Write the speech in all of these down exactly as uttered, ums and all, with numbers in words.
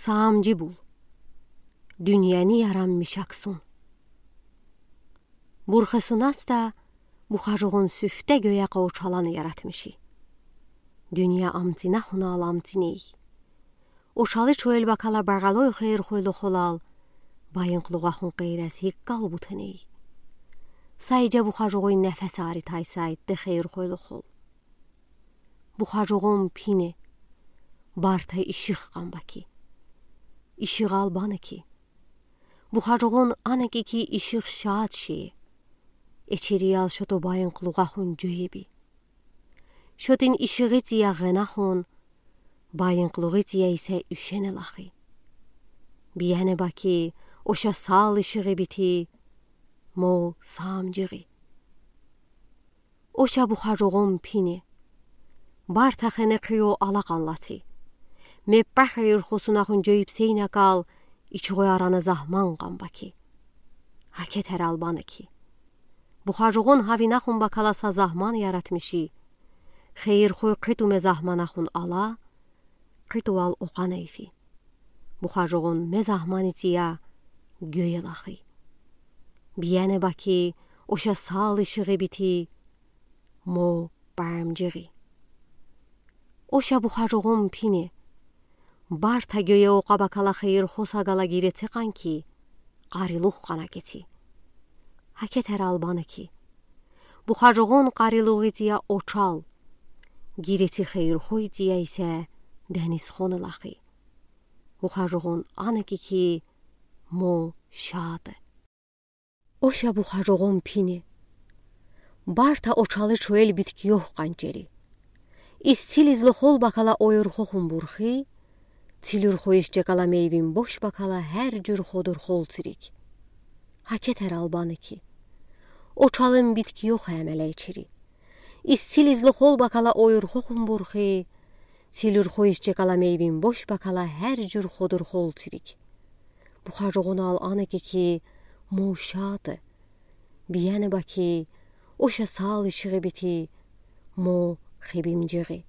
Саамджи бул. Дуьньяни яранмиш аксун. Бурхи Сунас да Бухажугъун сифте гёякъа очаланы яратмиши. Дуьнья амтинахунал амтиней. Очалы чоэл бакала багалой хийир-хуйлу холал байынглугъахун къейрез гиккал бутаней. Сай жа Бухажугъуй нефес ари тайсайтты хийир-хуйлу хол. Бухажугъун пине, барта иших къамбаки. Иших албанаки. Бухажугъун анаки ки иших шаат ши. Эчериял шото байынглугъахун жуеби. Шотин ишигъи тия гъэнахун, байынглугъи тия исе уьшене лахи. Биене баки, оша сал ишигъи бити, мо саамджигъи. Оша Бухажугъун пине. Барта хене кио алакъан лаци. Меппа хийир-хосунахун жуеб сейнакал, ичугъуй арана захман къамбаки. Гакетер албанаки. Бухажугъун гавинахун бакала са захман яратмиши. Хийир-хуй кытуме захманахун ала, кытувал окъанай фи. Бухажугъун ме захмани тия гёе лахи. Биене баки, оша сал ишигъи бити, мо бамджигъи. Оша Бухажугъун пине. Барта гёе окъа бакала хийир-хос агала гиреце къанки, къарилух къана геци. Гакетер албанаки. Бухажугъун къарилугъи тия очал. Гиреци хийир-хуй тия исе денизхон лахи. Бухажугъун анаки ки мо шаат. Оша Бухажугъун пине. Барта очалы чоэл биткиёх къанчери. Из цил излохол бакала ойурхохун бурхи, цилюрхуиш чекала мейвин бош бакала гер жур ходур хол цирик. Гакетер албанаки. Очалын биткиёх эмелей чири. Из цил излохол бакала ойурхохун бурхи, цилюрхуиш чекала мейвин бош бакала гер жур ходур хол цирик. Бухажугъунал анаки ки мо шаат. Биене баки, оша сал ишигъи бити, мо хибимджигъи.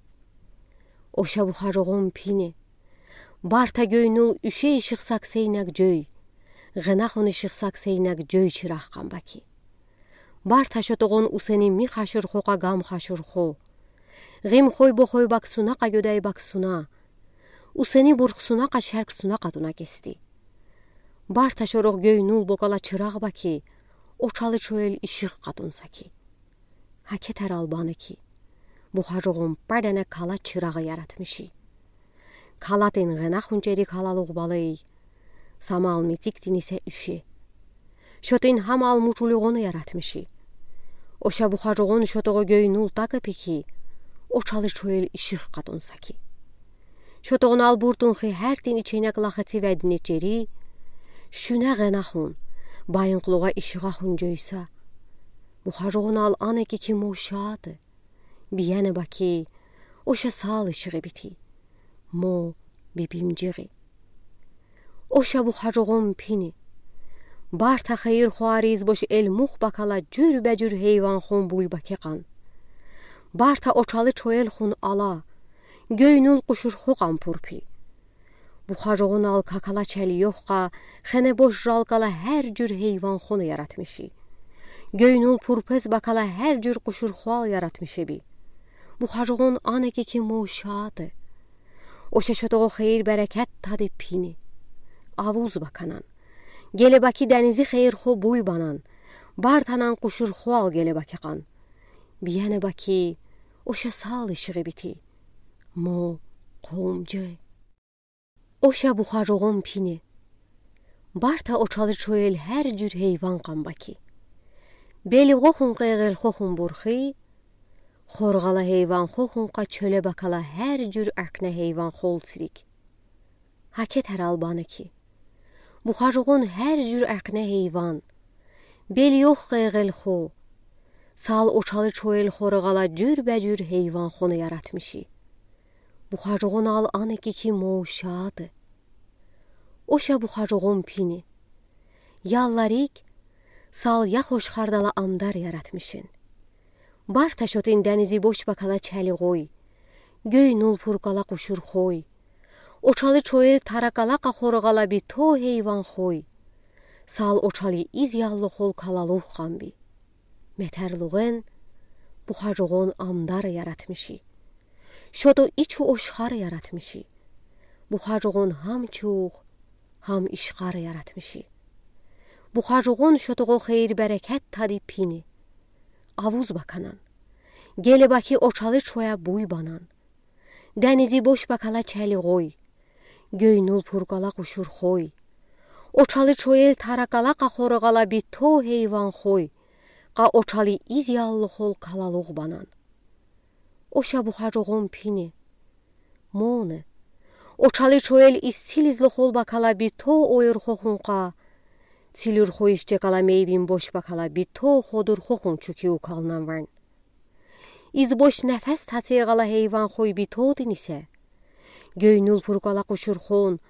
Оша Бухажугъун пине. Барта гёйнул уьше ишихсаг сейнаг жой. Гъэнахун ишихсаг сейнаг жой чирах къамбаки. Барта шотогъун усени ми хашурхо къагам хашурхо. Гъим хой бохой баксуна къагёдай баксуна. Усени бурхсуна къашарксуна къатуна кести. Барта шорох гёйнул бокала чырагъ баки, очалы чоэл иших къатунсаки. Гакетер албанаки. Бухажугъун падана кала чырагъ яратмиши. Калатын гъэнахун чери калалугъ балай. Самал митиктин исе уьше. Шотын хамал мучулугъун яратмиши. Оша Бухажугъун шотогъу гёйнул такъы пики, очалы чоэл иших къатунсаки. Шотогъунал буртун хи гертин иченек лахаци ведни чери, шуьне гъэнахун, байынглугъа ишихахун жойса. Бухажугъунал анаки ки мо шаат. Биене баки, оша сал ишигъи бити. Мо бибимджигъи. Оша Бухажугъун пине. Барта хийир-хуариз бош элмух бакала жуьр бе жуьр гьейванхон буй баке къан. Барта очалы чоэлхун ала, гёйнул къушурхо къан пурпи. Бухажугъунал какала чалъёхха, хене бош жалкала гер жуьр гьейванхон яратмиши. Гёйнул пурпез бакала гер жуьр къушурхоал яратмишеби. Бухажугъун анаки ки мо шаат. Оша шотогъу хийир-берекет тади пине. Авуз баканан. Геле баки денизи хийир-хо буй банан. Бартанан къушурхоал геле баке къан. Биене баки, оша сал ишигъи бити. Мо къумджи. Оша Бухажугъун пине. Барта очалы чоэл гер жуьр гьейван къамбаки. Белугъохун къайгъылхохун бурхи, хоргъала гьейванхохун къачоьле бакала гер жуьр акне гьейванхол цирик. Гакетер албанаки. Бухажугъун гер жуьр акне гьейван. Белугъ къайгъылхо. Сал очалы чоэл хоргъала жуьр бе жуьр гьейванхон яратмиши. Бухажугъунал анаки ки мо шаат. Оша Бухажугъун пине. Ялларик, сал яхош хардала амдар яратмишин. Барта шотын денизи бош бакала чалугъой. Гёйнул пуркала къушурхой. Очалы чоел таракала къахор ала бито гейван хой, сал очалы из яллы хол калалух ханби. Метерлуген бухажогон амдар яратмиши. Шото ичу ошхар яратмиши. Бухажогон гьам чух, гьам ишхар яратмиши. Бухажогон шотого хейир-берекет тади пини. Авуз баканан. Геле баки очалы чоя буй банан. Денизи бош бакала чели гой. Гёй нул пуркала къушур хой. Очалы чоел таракала къахор ала бито гейван хой. Къа очалы из яллы хол калалух банан. Оша бухажогон пини. Моне. Очалы чоел из цилизлы хол бакала бито ойур хохун къа. Цилюр хойыс чекала мейвин бош бакала бито ходур хохун чуки укалнан варн. Из бош нефес тацег ала гейван хой битотин исе. Гёй нул пуркала къушур хон,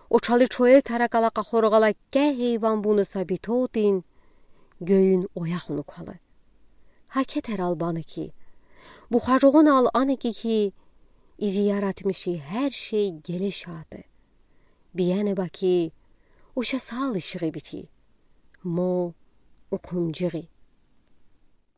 очалы чоел таракала къахор ала кеке гейван буныса битотин, гёюн ояхун укалы. Гьа кетер албаны ки, бухажогон ал ани ки ки, изи яратмиши гьер шей геле шаты. Биене баки, оша сал ишигъи бити. Мо укумжигъи.